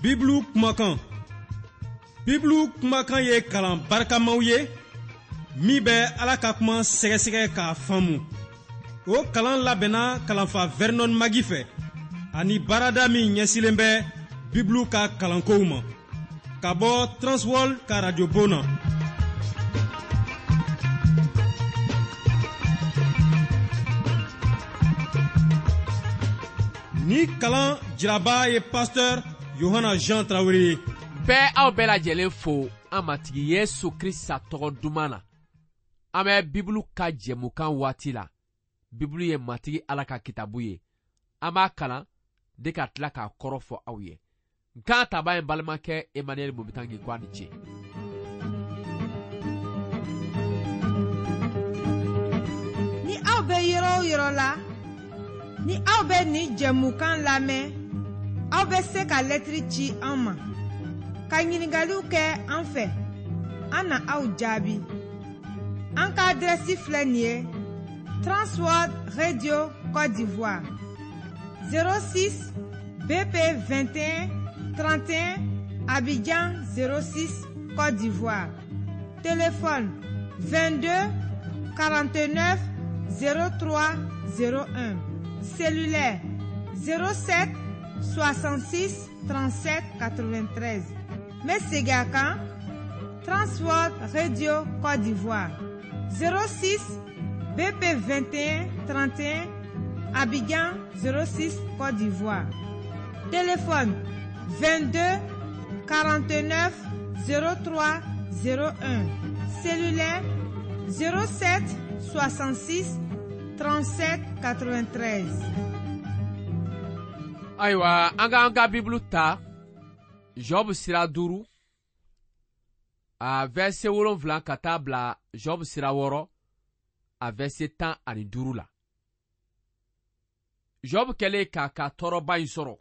Bibulu kumakan. Bibulu kumakan ye kalan barikamaw ye min bɛ Ala ka kuma sɛgɛsɛgɛ k'a faamu. O kalan labɛnna kalanfa Vernon Magi fɛ ani baarada min ɲɛsilen bɛ Bibulu ka kalankow ma ka bɔ Transworld ka radiobon na. Ni kalan jiraba ye pasteur Yohana Jean Tarawele ye. Bɛɛ aw bɛɛ lajɛlen fo an matigi Yesu Krista tɔgɔ duman na. An bɛ Bibulu ka jɛmukan waati la. Bibulu ye matigi Ala ka kitabu ye. An b'a kalan de ka tila k'a kɔrɔ fɔ aw ye. Nkan taba ye balimakɛ Emmanuel Mobitangi ko a ni ce. Ni aw bɛ yɔrɔ o yɔrɔ la, ni aw bɛ nin jɛmukan lamɛn, aw bɛ se ka lɛtiri ci an ma, ka ɲininkaliw kɛ an fɛ, an na aw jaabi. An ka adrɛsi filɛ nin ye Transworld Radio Côte d'Ivoire 06 BP 21 31 Abidjan 06 Côte d'Ivoire. Téléphone 22 49 03 01. Cellulaire 07 66 37 93. N bɛ segin a kan Transworld Radio Côte d'Ivoire 06 BP 21 31 Abidjan 06 Côte d'Ivoire. Téléphone 22 49 03 01. Cellulaire 07 66 37 93. Ayiwa, an k'an ka Bibulu ta Job sira 5 a verset 7 ka taa bila Job sira 6 a verset 15 la. Job kɛlen k'a ka tɔɔrɔba in sɔrɔ,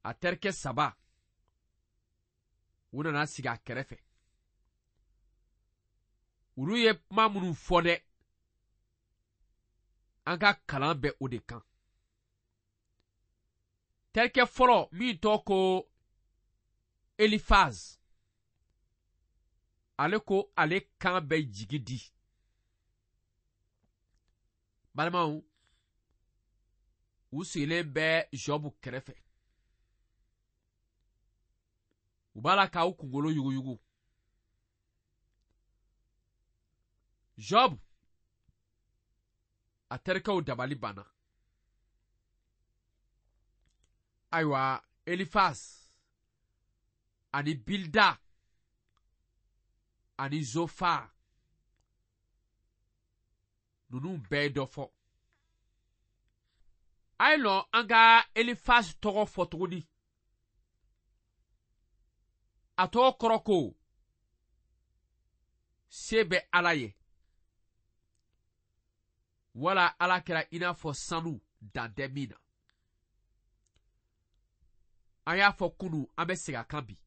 a terikɛ 3 u nana sigi a kɛrɛfɛ. Olu ye kuma minnu fɔ dɛ, an ka kalan bɛ o de kan. Terikɛ fɔlɔ min tɔgɔ ko Elifaz, ale ko ale kan bɛ jigi di. Balimaw, u sigilen bɛ Job kɛrɛfɛ. U b'a la k'aw kunkolo yuguyugu. Job, a terikɛw dabali banna. Ayiwa, Elifaz ani Bilda ani Zofar, ninnu bɛɛ ye dɔ fɔ. A ye lɔn an ka Elifaz tɔgɔ fɔ tuguni. A tɔgɔ kɔrɔ ko se bɛ Ala ye. Wala Ala kɛra i n'a fɔ sanu dan tɛ min na. An y'a fɔ kunu, an bɛ segin a kan bi.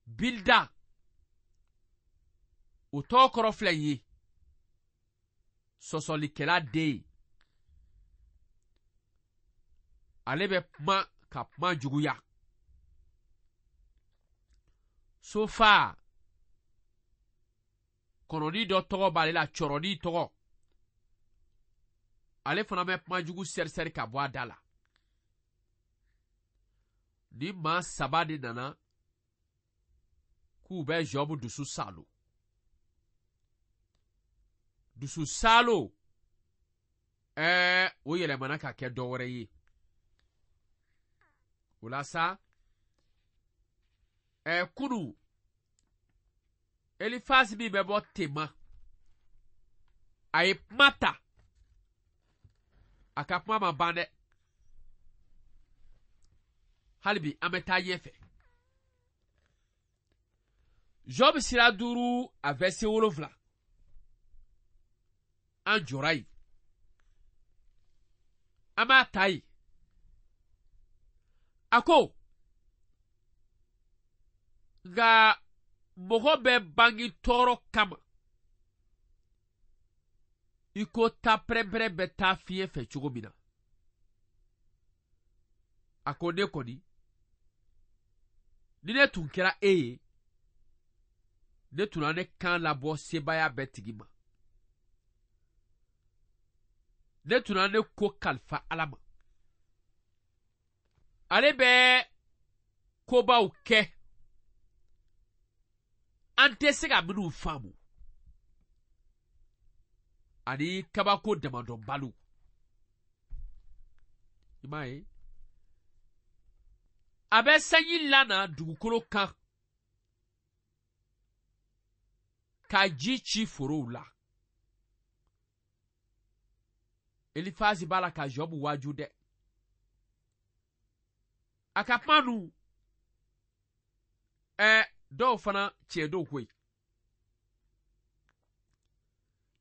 Bilda, o tɔgɔ kɔrɔ filɛ nin ye. Sɔsɔlikɛla den ye. Ale bɛ kuma ka kuma juguya. Sofa, kɔnɔni dɔ tɔgɔ b'ale la, cɔrɔni tɔgɔ. Ale fana bɛ kuma jugu sɛrisɛri ka bɔ a da la. Ni maa 3 de nana k'u bɛ Job dusu salo. Dusu salo, o yɛlɛmana ka kɛ dɔ wɛrɛ ye. O la sa, kunu, Elifaz min bɛ bɔ Tema, a ye kuma ta. A ka kuma ma ban dɛ. Hali bi an bɛ taa ɲɛfɛ. Job sira 5 a verset 7. An jɔra yen. An b'a ta yen. A ko, nka mɔgɔ bɛ bange tɔɔrɔ kama, i ko ta pɛrɛnpɛrɛn bɛ taa fiɲɛ fɛ cogo min na. A ko ne kɔni, ni ne tun kɛra e ye, ne tun na ne kan labɔ sebaaya bɛɛ tigi ma. Ne tun na ne ko kalifa Ala ma. Ale bɛ kobaw kɛ an tɛ se ka minnu faamu ani kabako damadɔnbaliw. I m'a ye, a bɛ sanji lana dugukolo kan ka ji ci forow la. Elifazi b'a la ka Jɔbu waaju dɛ. A ka kuma nu, dɔw fana tiɲɛ dɔw koyi.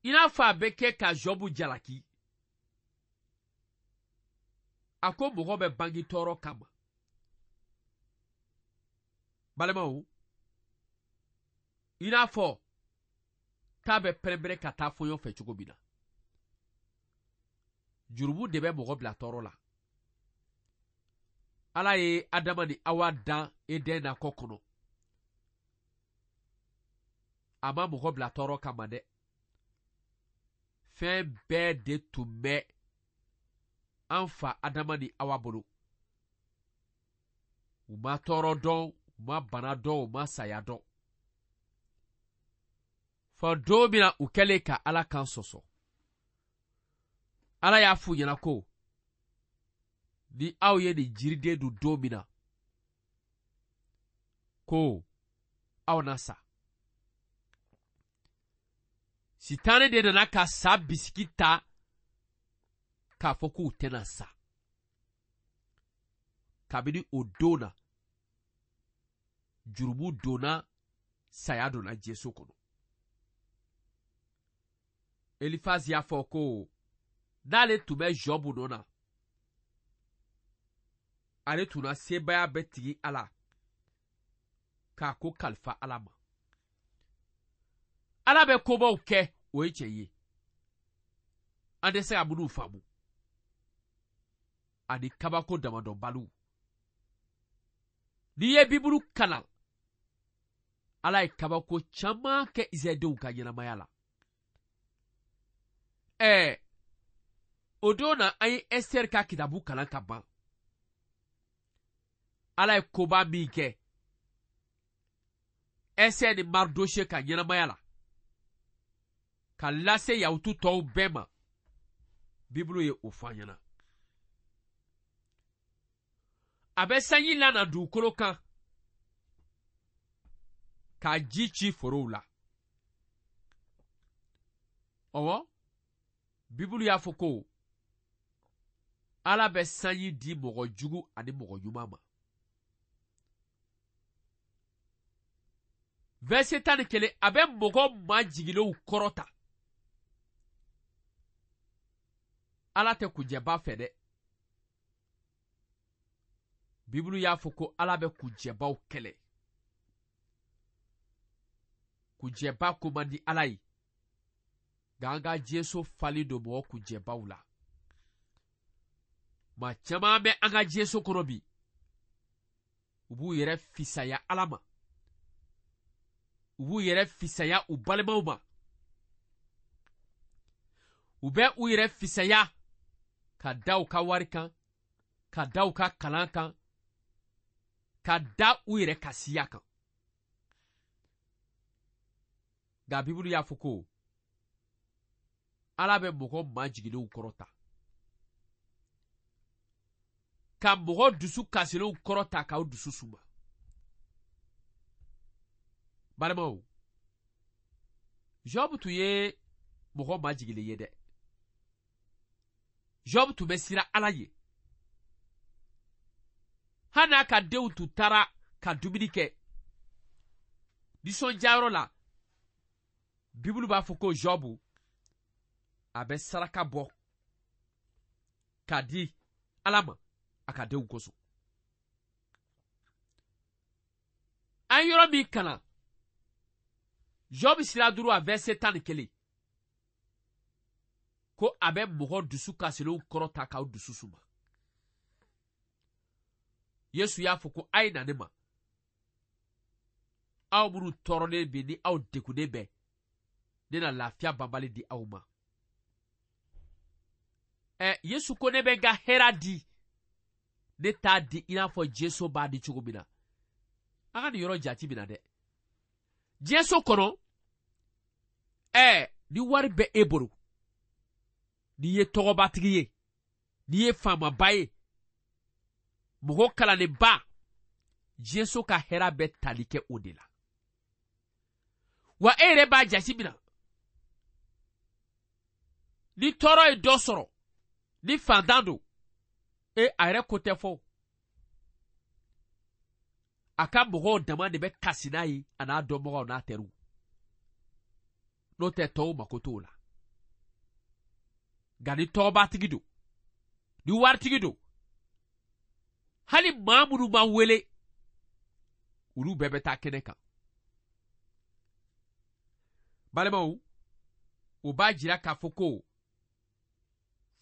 I n'a fɔ a bɛ kɛ ka Jɔbu jalaki. A ko mɔgɔ bɛ bange tɔɔrɔ kama. Balimaw, i n'a fɔ k'a bɛ pɛrɛnpɛrɛn ka taa fɔɲɔ fɛ cogo min na. Jurumu de bɛ mɔgɔ bila tɔɔrɔ la. Ala ye Adama ni Awa dan Eden nakɔ kɔnɔ. A ma mɔgɔ bila tɔɔrɔ kama dɛ. Fɛn bɛɛ de tun bɛ an fa Adama ni Awa bolo. U ma tɔɔrɔ dɔn, u ma bana dɔn, u ma saya dɔn. Fɔ don min na u kɛlen ka Ala kan sɔsɔ. Ala y'a f'u ɲɛna ko ni aw ye nin jiriden dun don min na, ko aw na sa. Sitane de nana ka sa bisiki ta k'a fɔ k'u tɛna sa. Kabini o don na, jurumu donna, saya donna Jesu kɔnɔ. Elifazi y'a fɔ ko n'ale tun bɛ Jɔbu nɔ na, ale tun na sebaaya bɛɛ tigi Ala k'a ko kalifa Ala ma. Ala bɛ kobaw kɛ, o ye tiɲɛ ye. An tɛ se ka minnu faamu. Ani kabako damadɔbaliw. N'i ye Bibulu kalan, Ala ye kabako caman kɛ Israɛldenw ka ɲɛnamaya la. O don na an ye Ɛsitɛri ka kitabu kalan ka ban. Ala ye koba min kɛ Ɛsitɛri ni Maridose ka ɲɛnamaya la, ka lase Yahutu tɔw bɛɛ ma, Bibulu ye o fɔ an ɲɛna. A bɛ sanji lana dugukolo kan ka ji ci forow la. Ɔwɔ, Bibulu y'a fɔ ko Ala bɛ sanji di mɔgɔ jugu ani mɔgɔ ɲuman ma. Verset 11, a bɛ mɔgɔ majigilenw kɔrɔta. Ala tɛ kunjɛba fɛ dɛ. Bibulu y'a fɔ ko Ala bɛ kunjɛbaw kɛlɛ. Kunjɛba ko man di Ala ye. Nka an ka diɲɛso falen don mɔgɔ kunjɛbaw la. Maa caman bɛ an ka diɲɛso kɔnɔ bi. U b'u yɛrɛ fisaya Ala ma. U b'u yɛrɛ fisaya u balimaw ma. U bɛ u yɛrɛ fisaya ka da u ka wari kan, ka da u ka kalan kan, ka da u yɛrɛ ka siya kan. Nka Bibulu y'a fɔ ko Ala bɛ mɔgɔ majigilenw kɔrɔta, ka mɔgɔ dusu kasilenw kɔrɔta k'aw dusu suma. Balimaw, Job tun ye mɔgɔ majigilen ye dɛ. Job tun bɛ siran Ala ye. Hali n'a ka denw tun taara ka dumuni kɛ nisɔndiyayɔrɔ la, Bibulu b'a fɔ ko Job a bɛ saraka bɔ k'a di Ala ma a ka denw kosɔn. An yɔrɔ min kalan, Job sira 5 a verset 11, ko a bɛ mɔgɔ dusu kasilenw kɔrɔta k'aw dusu suma. Yesu y'a fɔ ko a ye na ne ma, aw minnu tɔɔrɔlen bɛ ni aw degunnen bɛ, ne na lafiya banbali di aw ma. Yesu ko ne bɛ n ka hɛra di, ne t'a di i n'a fɔ diɲɛso b'a di cogo min na. An ka nin yɔrɔ jate minɛ dɛ. Diɲɛso kɔnɔ, ni wari bɛ e bolo, n'i ye tɔgɔbatigi ye, n'i ye faamaba ye, mɔgɔ kalannenba, diɲɛso ka hɛra bɛ tali kɛ o de la. Wa e yɛrɛ b'a jate minɛ, ni tɔɔrɔ ye dɔ sɔrɔ, ni fantan don, a yɛrɛ ko tɛ fɔ. A ka mɔgɔw dama de bɛ kasi n'a ye, a n'a dɔnbagaw n'a teriw. N'o tɛ tɔw mako t'o la. Nka ni tɔgɔbatigi don, ni waritigi don, hali maa minnu ma wele, olu bɛɛ bɛ taa kɛnɛ kan. Balimaw, o b'a jira k'a fɔ ko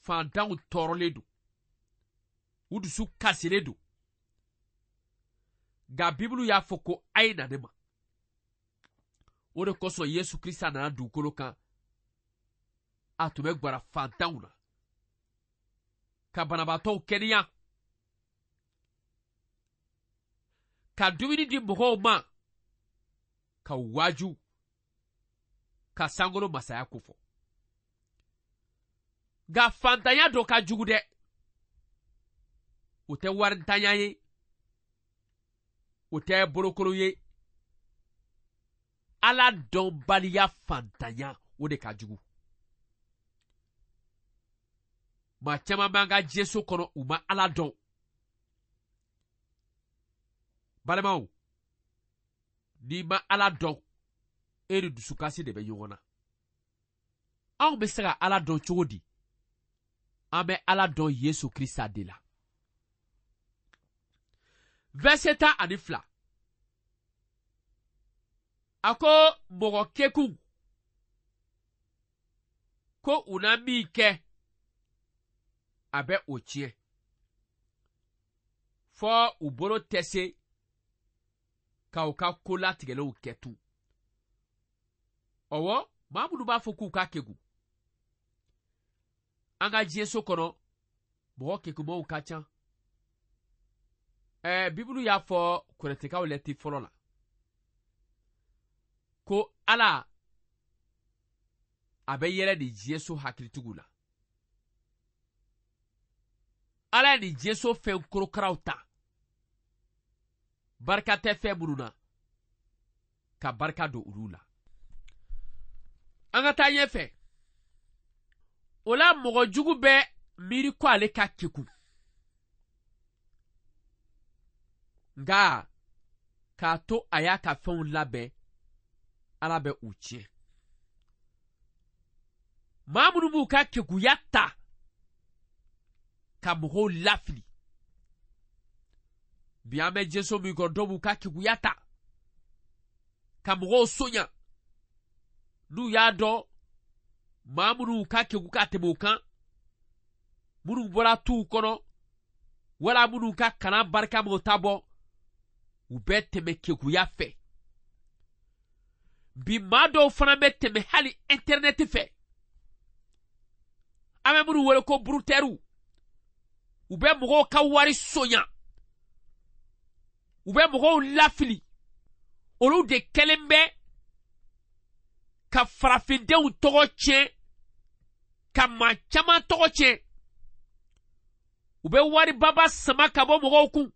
fantanw tɔɔrɔlen don, u dusu kasilen don. Nka Bibulu y'a fɔ ko a ye na ne ma. O de kosɔn Yesu Krista nana dugukolo kan. A tun bɛ gwara fantanw na, ka banabaatɔw kɛnɛya, ka dumuni di mɔgɔw ma, ka waaju, ka sankolo masaya kofɔ. Nka fantanya dɔ ka jugu dɛ. O tɛ warintanya ye, o tɛ bolokolo ye. Ala dɔnbaliya fantanya, o de ka jugu. Maa caman b'an ka diɲɛso kɔnɔ, u ma Ala dɔn. Balimaw, n'i ma Ala dɔn, e ni dusukasi de bɛ ɲɔgɔn na. Anw bɛ se ka Ala dɔn cogo di? An bɛ Ala dɔn Yesu Krista de la. Verset 12. A ko mɔgɔ kekun ko u na min kɛ, a bɛ o tiɲɛ. Fɔ u bolo tɛ se ka u ka ko latigɛlenw kɛ tun. Ɔwɔ, maa minnu b'a fɔ k'u ka kekun. An ka diɲɛso kɔnɔ, mɔgɔ kekunmaw ka ca. Bibulu y'a fɔ Kɔrɛntikaw lɛti fɔlɔ la ko Ala a bɛ yɛlɛ nin diɲɛso hakilitigiw la. Ala ye nin diɲɛso fɛn korokaraw ta, barika tɛ fɛn minnu na, ka barika don olu la. An ka taa ɲɛfɛ. O la mɔgɔ jugu bɛ miiri ko ale ka kekun. Nka k'a to a y'a ka fɛnw labɛn, Ala bɛ u tiɲɛ. Maa minnu b'u ka kekuya ta ka mɔgɔw lafili. Bi an bɛ diɲɛso min kɔnɔ, dɔw b'u ka kekuya ta ka mɔgɔw sonya. N'u y'a dɔn maa minnu ka keku ka tɛmɛ o kan, minnu bɔra tuw kɔnɔ, wala minnu ka kalan barika m'o ta bɔ, u bɛ tɛmɛ kekuya fɛ. Bi maa dɔw fana bɛ tɛmɛ hali intɛrɛnɛti fɛ. An bɛ minnu wele ko burutɛriw, u bɛ mɔgɔw ka wari sonya, u bɛ mɔgɔw lafili. Olu de kɛlen bɛ ka farafindenw tɔgɔ tiɲɛ, ka maa caman tɔgɔ tiɲɛ. U bɛ waribaba sama ka bɔ mɔgɔw kun.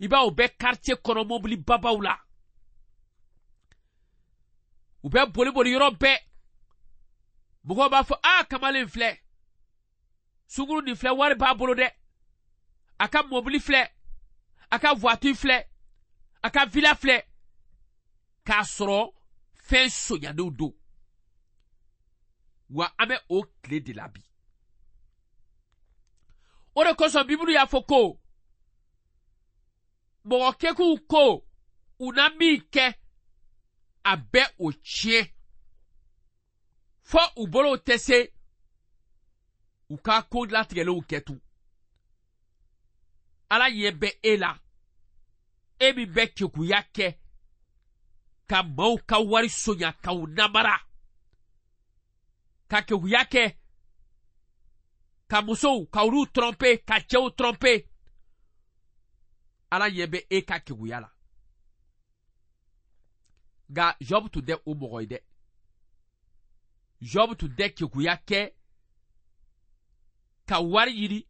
I b'a u bɛ quartier kɔnɔ mobili babaw la. U bɛ boli boli yɔrɔ bɛɛ. Mɔgɔw b'a fɔ, aa, kamalen filɛ. Sunguru nin filɛ, wari b'a bolo dɛ. A ka mobili filɛ. A ka voiture filɛ. A ka villa filɛ. K'a sɔrɔ fɛn sonyanenw don. Wa an bɛ o tile de la bi. O de kosɔn Bibulu y'a fɔ ko mɔgɔ kekuw ko u na min kɛ, a bɛ o tiɲɛ. Fɔ u bolow tɛ se u ka ko latigɛlenw kɛ tun. Ala ɲɛ bɛ e la, e min bɛ kekuya kɛ ka maaw ka wari sonya k'u namara, ka kekuya kɛ ka musow ka olu tromper, ka cɛw tromper. Ala ɲɛ bɛ e ka kekuya la. Nka Job tun tɛ o mɔgɔ ye dɛ. Job tun tɛ kekuya kɛ ka wari ɲini,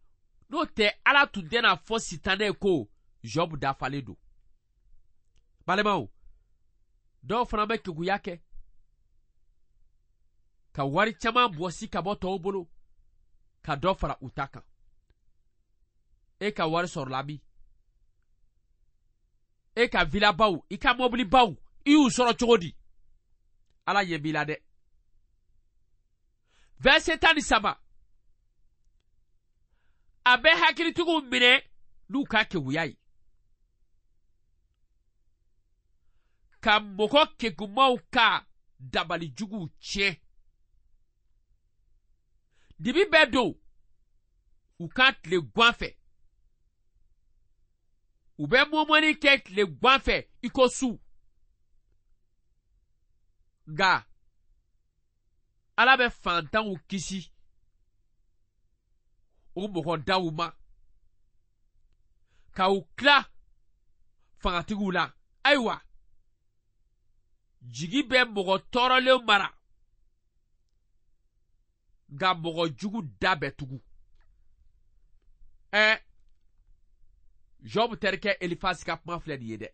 n'o tɛ Ala tun tɛna fɔ Sitanɛ ko Job dafalen don. Balimaw, dɔw fana bɛ kekuya kɛ ka wari caman bɔsi ka bɔ tɔw bolo ka dɔ fara u ta kan. E ka wari sɔrɔla min? E ka vilabaw, i ka mɔbilibaw, i y'u sɔrɔ cogo di? Ala ɲɛ b'i la dɛ. Verset 13, a bɛ hakilitigiw minɛ n'u ka keguya ye, ka mɔgɔ kegumaw ka dabali juguw tiɲɛ. Dibi bɛ don u ka tile gwan fɛ, u bɛ mɔmɔni kɛ tile gwan fɛ i ko su. Nka Ala bɛ fantanw kisi o mɔgɔ daw ma, ka u tila fangatigiw la. Ayiwa, jigi bɛ mɔgɔ tɔɔrɔlenw mara, nka mɔgɔ jugu da bɛ tugu. Job terikɛ Elifasi ka kuma filɛ nin ye dɛ.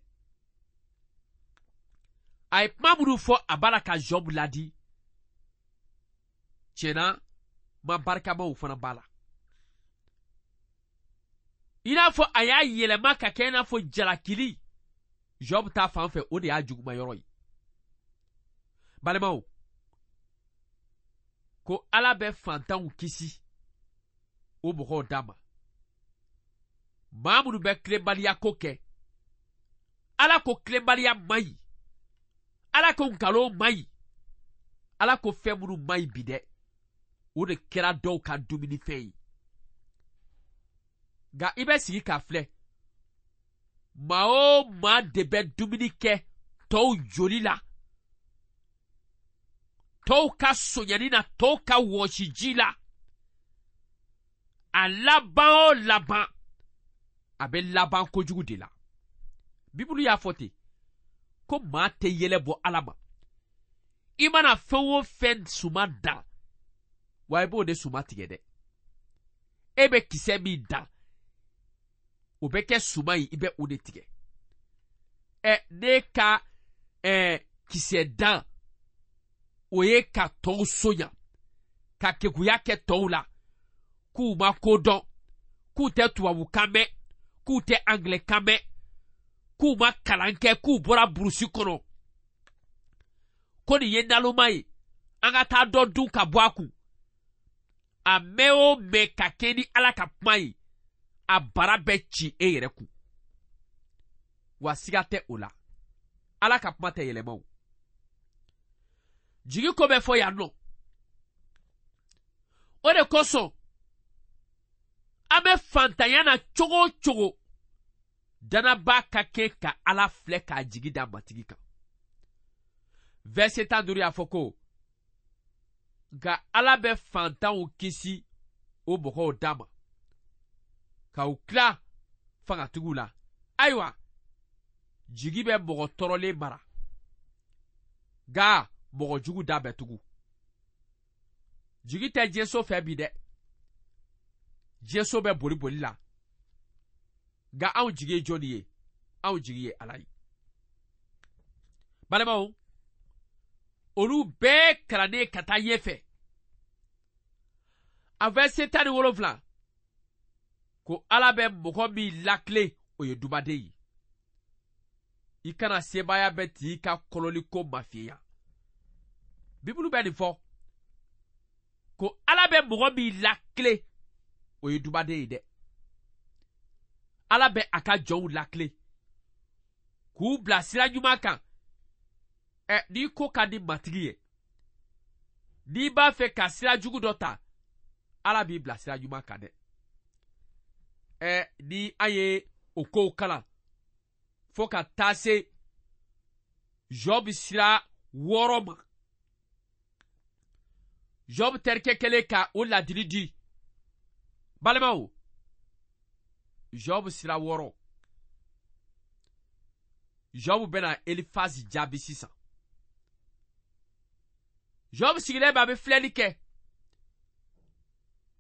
A ye kuma minnu fɔ, a b'a la ka Job ladi. Tiɲɛna, ma barikamaw fana b'a la. I n'a fɔ a y'a yɛlɛma ka kɛ i n'a fɔ jalakili Job ta fan fɛ, o de y'a juguma yɔrɔ ye. Balimaw, ko Ala bɛ fantanw kisi o mɔgɔw da ma. Maa minnu bɛ tilenbaliya ko kɛ, Ala ko tilenbaliya man ɲi, Ala ko nkalon man ɲi, Ala ko fɛn minnu man ɲi bi dɛ, o de kɛra dɔw ka dumunifɛn ye. Nka i bɛ sigi k'a filɛ, maa o maa de bɛ dumuni kɛ tɔw joli la, tɔw ka sonyani na, tɔw ka wɔsiji la, a laban o laban, a bɛ laban kojugu de la. Bibulu y'a fɔ ten ko maa tɛ yɛlɛ bɔ Ala ma. I mana fɛn o fɛn suma dan, wa i b'o de suma tigɛ dɛ. E bɛ kisɛ min dan, o bɛ kɛ suma ye, i bɛ o de tigɛ. Ne ka kisɛ dan, o ye ka tɔw sonya, ka kekuya kɛ tɔw la, k'u ma ko dɔn, k'u tɛ tubabukan mɛn, k'u tɛ angilɛkan mɛn, k'u ma kalan kɛ, k'u bɔra burusi kɔnɔ, ko nin ye naloma ye, an ka taa dɔ dun ka bɔ a kun. A mɛn o mɛn ka kɛ ni Ala ka kuma ye, a bara bɛ ci e yɛrɛ kun. Wa siga tɛ o la, Ala ka kuma tɛ yɛlɛma o. Jigi ko bɛ fɔ yan nɔ. O de kosɔn an bɛ fantanya na cogo o cogo, danaba ka kɛ ka Ala filɛ k'a jigi da Matigi kan. Verset 15 y'a fɔ ko nka Ala bɛ fantanw kisi o mɔgɔw da ma, ka u tila fangatigiw la. Ayiwa, jigi bɛ mɔgɔ tɔɔrɔlen mara, nka mɔgɔ jugu da bɛ tugu. Jigi tɛ diɲɛso fɛ bi dɛ, diɲɛso bɛ boli boli la, nka anw jigi ye jɔnni ye? Anw jigi ye Ala ye. Balimaw, olu bɛɛ kalannen ka taa ɲɛfɛ. A verset 17 ko Ala bɛ mɔgɔ min lakilen, o ye dubaden ye. I kana sebaaya bɛ t'i ka kɔlɔliko mafiɲɛya. Bibulu bɛ nin fɔ ko Ala bɛ mɔgɔ min lakilen, o ye dubaden ye dɛ. Ala bɛ a ka jɔnw lakilen k'u bila sira ɲuman kan. N'i ko ka di Matigi ye, n'i b'a fɛ ka sira jugu dɔ ta, Ala b'i bila sira ɲuman kan dɛ. Ni an ye o kow kalan fo ka taa se Job sira 6 ma. Job terikɛ kɛlen ka o ladili di. Balimaw, Job sira 6. Job bɛna Elifazi jaabi sisan. Job sigilen bɛ, a bɛ filɛli kɛ.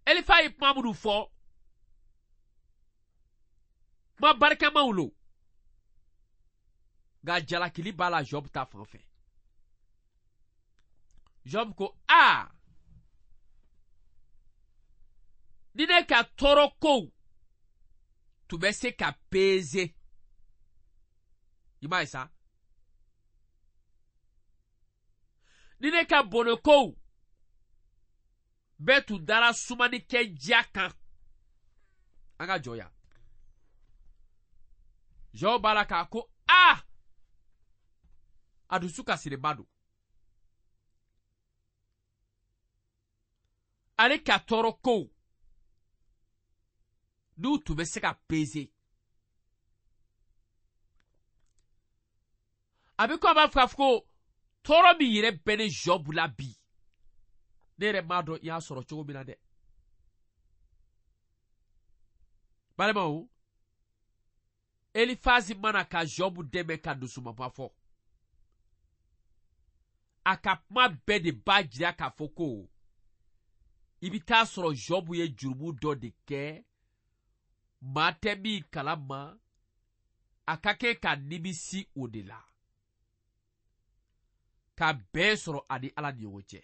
Elifazi ye kuma minnu fɔ, kuma barikamaw lo. Nka jalakili b'a la Job ta fan fɛ. Job ko, aa, ni ne ka tɔɔrɔ kow tun bɛ se ka peze. I m'a ye sa? Ni ne ka bɔnɛ kow bɛɛ tun dara sumanikɛ diya kan. An ka jɔ yan. Job b'a la k'a ko, aa, a dusu kasilenba don. Ale ka tɔɔrɔ kow n'u tun bɛ se ka peze. A bɛ ko a b'a fɔ k'a fɔ ko tɔɔrɔ min yɛrɛ bɛ ne Job la bi, ne yɛrɛ m'a dɔn i y'a sɔrɔ cogo min na dɛ. Balimaw, Elifazi mana ka Job dɛmɛ ka dusumaba fɔ. A ka kuma bɛɛ de b'a jira k'a fɔ ko i bɛ taa sɔrɔ Job ye jurumu dɔ de kɛ, maa tɛ min kalama, a ka kɛ ka nimisi o de la. Ka bɛn sɔrɔ a ni Ala ni ɲɔgɔn cɛ.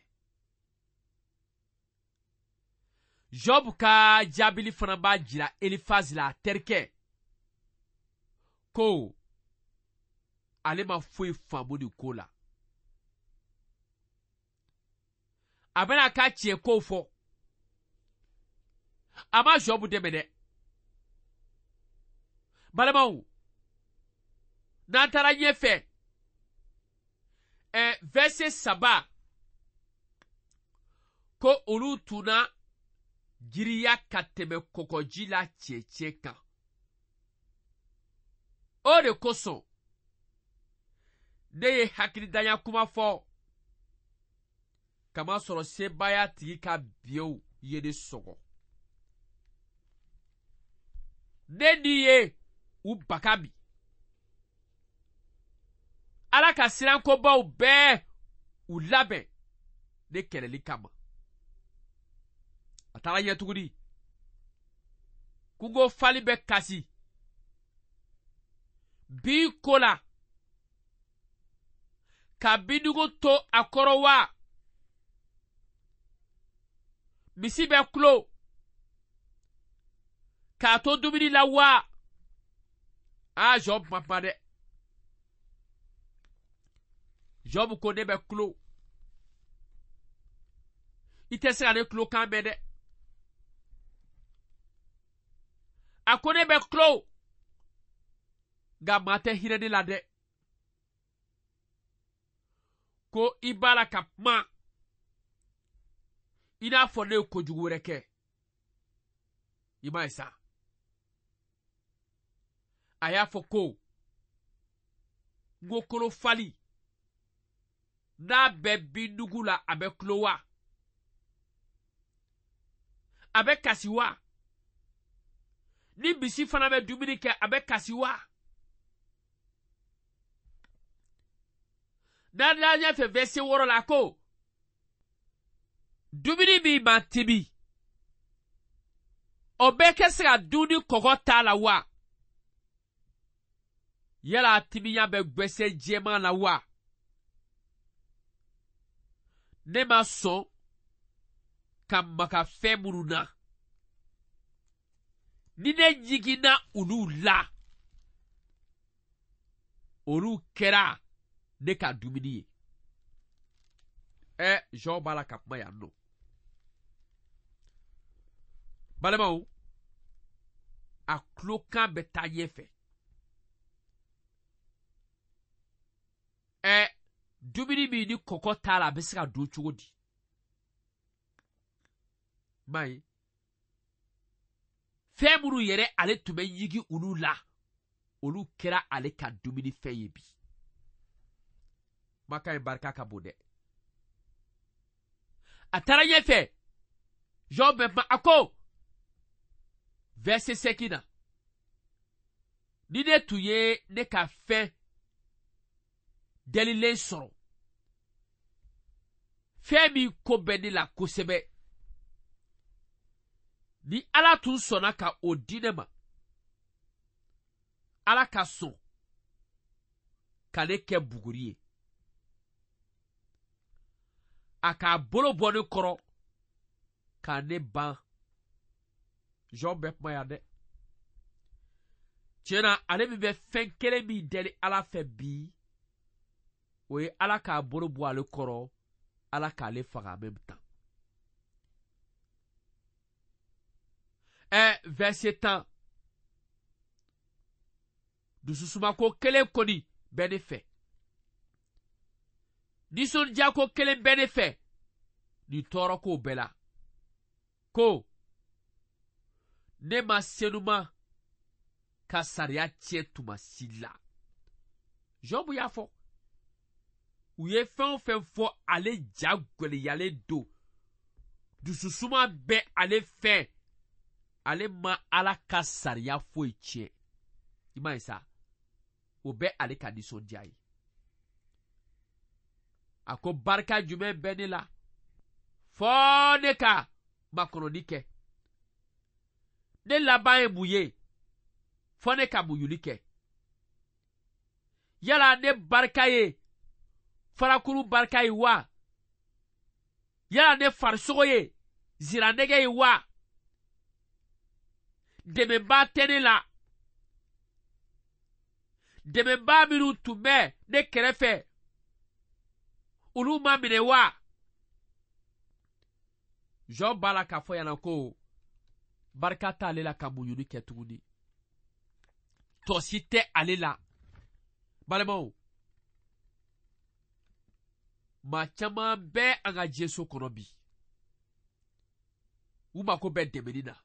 Job ka jaabili fana b'a jira Elifazi la, a terikɛ, ko ale ma foyi faamu nin ko la. A bɛna a ka tiɲɛ kow fɔ. A ma Job dɛmɛ dɛ. Balimaw, n'an taara ɲɛfɛ, verset 3, ko olu tun na giriya ka tɛmɛ kɔgɔji la cɛncɛn kan. O de kosɔn ne ye hakilidanya kuma fɔ, kamasɔrɔ sebaaya tigi ka biɲɛw ye ne sɔgɔ. Ne ni ye u baga min. Ala ka sirankobaw bɛɛ u labɛn ne kɛlɛli kama. A taara ɲɛ tuguni. Kungo fali bɛ kasi. Bin ko la. Ka bindugu to a kɔrɔ wa. Misi bɛ kulo. K'a to dumuni la wa. Aa, Job ma kuma dɛ. Job ko ne bɛ kulo. I tɛ se ka ne kulo kan mɛn dɛ. A ko ne bɛ kulo. Nka maa tɛ hinɛ ne la dɛ. Ko i b'a la ka kuma i n'a fɔ ne ye kojugu wɛrɛ kɛ. I m'a ye sa. A y'a fɔ ko n ko kolo fali n'a bɛ bindugu la a bɛ kulo wa? A bɛ kasi wa? Ni misi fana bɛ dumuni kɛ a bɛ kasi wa? N'an taara ɲɛfɛ verset 6 la ko dumuni min ma tibi o bɛ kɛ se ka dun ni kɔgɔ t'a la wa? Yala a timiya bɛ gwɛsɛ jɛman la wa? Ne ma sɔn ka maga fɛn minnu na. Ni ne jiginna olu la, olu kɛra ne ka dumuni ye. Jean b'a la ka kuma yan nɔ. Balimaw, a tulokan bɛ taa ɲɛfɛ. Dumuni min ni kɔkɔ t'a la, a bɛ se ka dun cogo di? M'a ye? Fɛn minnu yɛrɛ ale tun bɛ ɲigi olu la, olu kɛra ale ka dumunifɛn ye bi. Kumakan in barika ka bon dɛ. A taara ɲɛfɛ, Job bɛ kuma, a ko verset 5 na, ni ne tun ye ne ka fɛn delilen sɔrɔ, fɛn min ko bɛ ne la kosɛbɛ, ni Ala tun sɔnna ka o di ne ma, Ala ka sɔn ka ne kɛ buguri ye, a k'a bolo bɔ ne kɔrɔ ka ne ban. Job bɛ kuma yan dɛ. Tiɲɛ na, ale min bɛ fɛn kelen min deli Ala fɛ bi, o ye Ala k'a bolo bɔ ale kɔrɔ, Ala k'ale faga en même temps. Verset 10. Dususumako kelen kɔni bɛ ne fɛ, nisɔndiyako kelen bɛ ne fɛ nin tɔɔrɔkow bɛɛ la, ko ne ma senuma ka sariya tiɲɛ tuma si la. Job y'a fɔ, u ye fɛn o fɛn fɔ, ale ja gwɛlɛyalen don, dususuma bɛ ale fɛ, ale ma Ala ka sariya foyi tiɲɛ. I m'a ye sa, o bɛ ale ka nisɔndiya ye. A ko barika jumɛn bɛ ne la fɔ ne ka makɔnɔni kɛ? Ne laban ye mun ye fɔ ne ka muɲuli kɛ? Yala ne barika ye farakuru barika ye wa? Yala ne farisogo ye ziranɛgɛ ye wa? Dɛmɛbaa tɛ ne la. Dɛmɛbaa minnu tun bɛ ne kɛrɛfɛ, olu ma minɛ wa? Job b'a la k'a fɔ yan ko barika t'ale la ka muɲuni kɛ tuguni, tɔ si tɛ ale la. Balimaw, maa caman bɛ an ka diɲɛso kɔnɔ bi, u mako bɛ dɛmɛni na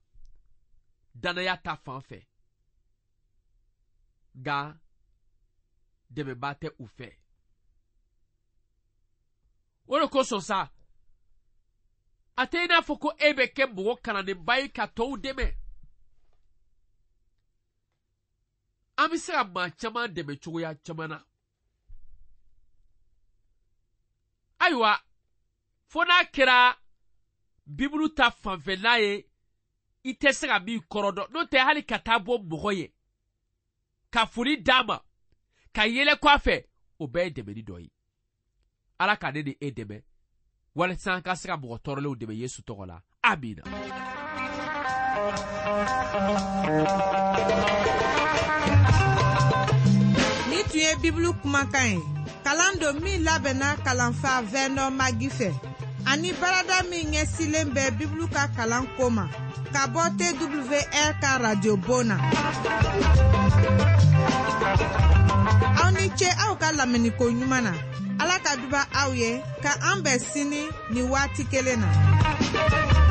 danaya ta fan fɛ, nka dɛmɛbaa tɛ u fɛ. O de kosɔn sa, a tɛ i n'a fɔ ko e bɛ kɛ mɔgɔ kalannenba ye ka tɔw dɛmɛ. An bɛ se ka maa caman dɛmɛ cogoya caman na. Ayiwa, fo n'a kɛra Bibulu ta fanfɛla ye, i tɛ se ka min kɔrɔ dɔn, n'o tɛ hali ka taa bɔ mɔgɔ ye, ka foli d'a ma, ka yɛlɛ kɔ a fɛ, o bɛɛ ye dɛmɛni dɔ ye. Ala ka ne ni e dɛmɛ walasa an ka se ka mɔgɔ tɔɔrɔlenw dɛmɛ Yesu tɔgɔ la. Amina. Ni tun ye Bibulu kumakan ye, kalan don min labɛnna kalanfa Vernon Magi fɛ, ani baarada min ɲɛsilen bɛ Bibulu ka kalan ko ma, ka bɔ TWR ka radio bon na. Aw ni ce aw ka lamɛnniko ɲuman na. Ala ka duba aw ye, ka an bɛn sini ni waati kelen na.